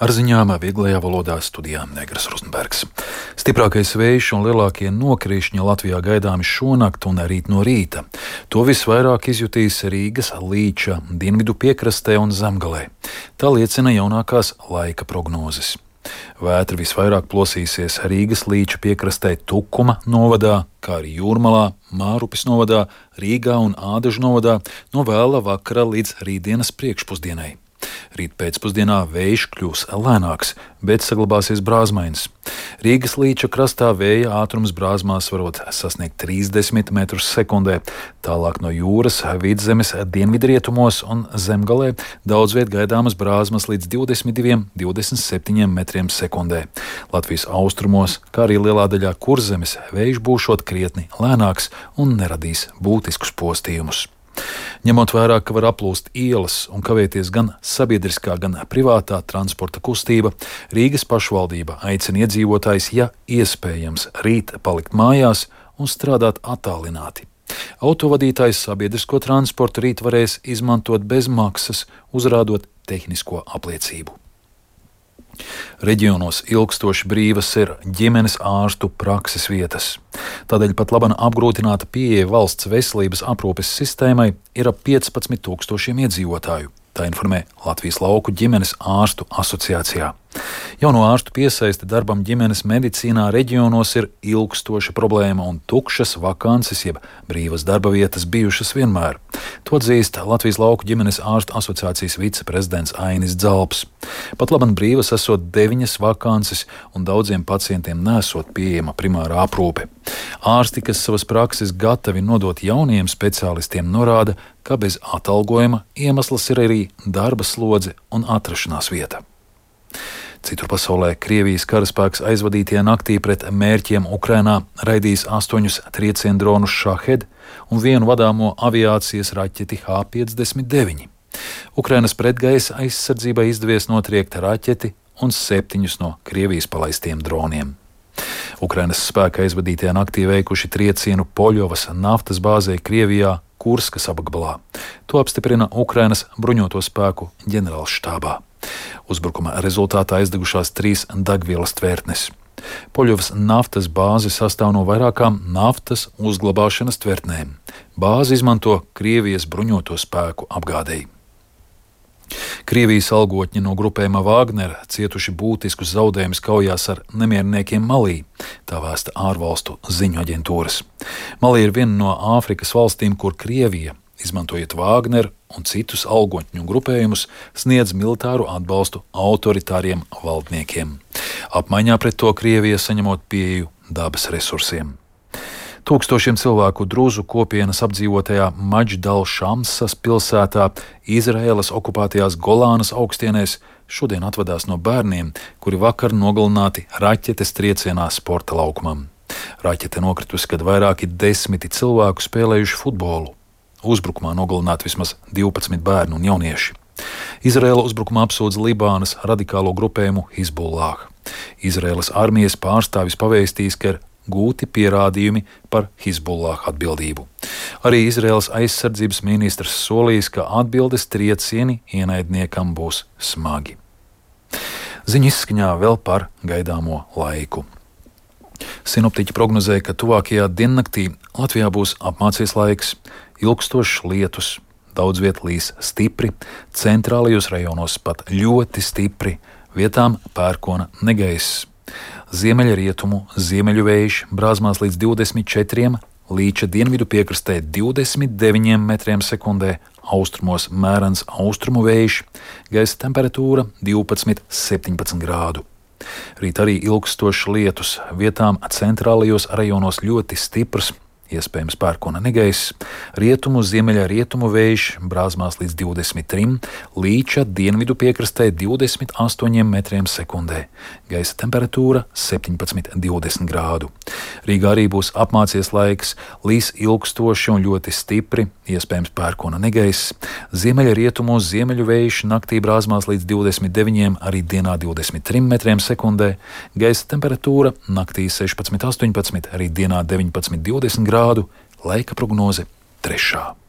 Ar ziņām vieglajā valodā studijā Negras Rozenbergs. Stiprākais vējš un lielākie nokrišņi Latvijā gaidāmi šonakt un rīt no rīta. To visvairāk izjutīs Rīgas, Līča, dienvidu piekrastē un Zemgalē. Tā liecina jaunākās laika prognozes. Vētra visvairāk plosīsies Rīgas Līča piekrastē Tukuma novadā, kā arī Jūrmalā, Mārupes novadā, Rīgā un Ādažu novadā no vēla vakara līdz rītdienas priekšpusdienai. Rīt pēcpusdienā vējš kļūs lēnāks, bet saglabāsies brāzmains. Rīgas Līča krastā vēja ātrums brāzmās varot sasniegt 30 metrus sekundē, tālāk no jūras vidzemes dienvidrietumos un Zemgalē daudz viet gaidāmas brāzmas līdz 22–27 metriem sekundē. Latvijas austrumos, kā arī lielā daļā Kurzemes, vējš būšot krietni lēnāks un neradīs būtiskus postījumus. Ņemot vērā, ka var aplūst ielas un kavēties gan sabiedriskā, gan privātā transporta kustība, Rīgas pašvaldība aicina iedzīvotājus, ja iespējams, rīt palikt mājās un strādāt attālināti. Autovadītājs sabiedrisko transportu rīt varēs izmantot bez maksas, uzrādot tehnisko apliecību. Reģionos ilgstoši brīvas ir ģimenes ārstu prakses vietas. Tādēļ pat labana apgrūtināta pieeja valsts veselības aprūpes sistēmai ir ap 15,000 iedzīvotāju. Tā informē Latvijas lauku ģimenes ārstu asociācijā. Jauno ārstu piesaiste darbam ģimenes medicīnā reģionos ir ilgstoša problēma un tukšas vakances jeb brīvas darba vietas bijušas vienmēr. To atzīst Latvijas lauku ģimenes ārstu asociācijas viceprezidents Ainis Dzalps. Pat laban brīvas esot 9 vakances un daudziem pacientiem nesot pieejama primārā aprūpe. Ārsti, kas savas prakses gatavi nodot jauniem speciālistiem, norāda, ka bez atalgojuma iemesls ir arī darba slodze un atrašanās vieta. Citur pasaulē Krievijas karaspēks aizvadītajā naktī pret mērķiem Ukrainā raidījis 8 trieciendronus Šahed un 1 vadāmo aviācijas raķeti H-59. Ukrainas pretgaisa aizsardzībai izdevies notriekt raķeti un 7 no Krievijas palaistiem droniem. Ukrainas spēki aizvadītajā naktī veikuši triecienu Poļovas naftas bāzē Krievijā Kurskas apgabalā. To apstiprina Ukrainas bruņoto spēku ģenerālštābā. Uzbrukuma rezultātā aizdegušās 3 degvielas tvertnes. Poļovas naftas bāze sastāv no vairākām naftas uzglabāšanas tvertnēm. Bāzi izmanto Krievijas bruņoto spēku apgādei. Krievijas algotņi no grupējuma Wagner cietuši būtiskus zaudējumus kaujās ar nemierniekiem Malī, tā vēsta ārvalstu ziņu aģentūras. Malī ir viena no Āfrikas valstīm, kur Krievija, izmantojot Wagner un citus algotņu grupējumus, sniedz militāru atbalstu autoritāriem valdniekiem. Apmaiņā pret to Krievija saņemot pieeju dabas resursiem. Tūkstošiem cilvēku druzu kopienas apdzīvotajā Maģdal-Šamsas pilsētā Izraēlas okupētajās Golānas augstienēs šodien atvadās no bērniem, kuri vakar nogalināti raķetes triecienā sporta laukumam. Raķete nokritusi, kad vairāki 10 cilvēku spēlējuši futbolu. Uzbrukumā nogalināti vismaz 12 bērnu un jaunieši. Izraēla uzbrukumā apsūdz Libānas radikālo grupējumu Hizbullah. Izraēlas armijas pārstāvis pavēstījis, ka ir gūti pierādījumi par Hizbullah atbildību. Arī Izraēlas aizsardzības ministrs solījis, ka atbildes triecieni ienaidniekam būs smagi. Ziņu izskaņā vēl par gaidāmo laiku. Sinoptiķi prognozēja, ka tuvākajā diennaktī Latvijā būs apmācies laiks, ilgstošs lietus, daudz viet līs stipri, centrālajos rajonos pat ļoti stipri, vietām pērkona negaiss. Ziemeļrietumu ziemeļu vējš brāzmās līdz 24, Līča dienvidu piekrastē 29 metriem sekundē, austrumos mērens austrumu vējš, gaisa temperatūra 12–17 grādu. Rīt arī ilgstošs lietus, vietām centrālajos rajonos ļoti stiprs, iespējams pērkona negaiss, rietumu ziemeļa rietumu vējš brāzmās līdz 23, Līča dienvidu piekrastē 28 metriem sekundē, gaisa temperatūra 17–20 grādu. Rīgā arī būs apmācies laiks, līs ilgstoši un ļoti stipri, iespējams pērkona negaiss, ziemeļa rietumu ziemeļu vējš naktī brāzmās līdz 29, arī dienā 23 metriem sekundē, gaisa temperatūra naktī 16–18, arī dienā 19–20 grādu. Laika prognoze 3.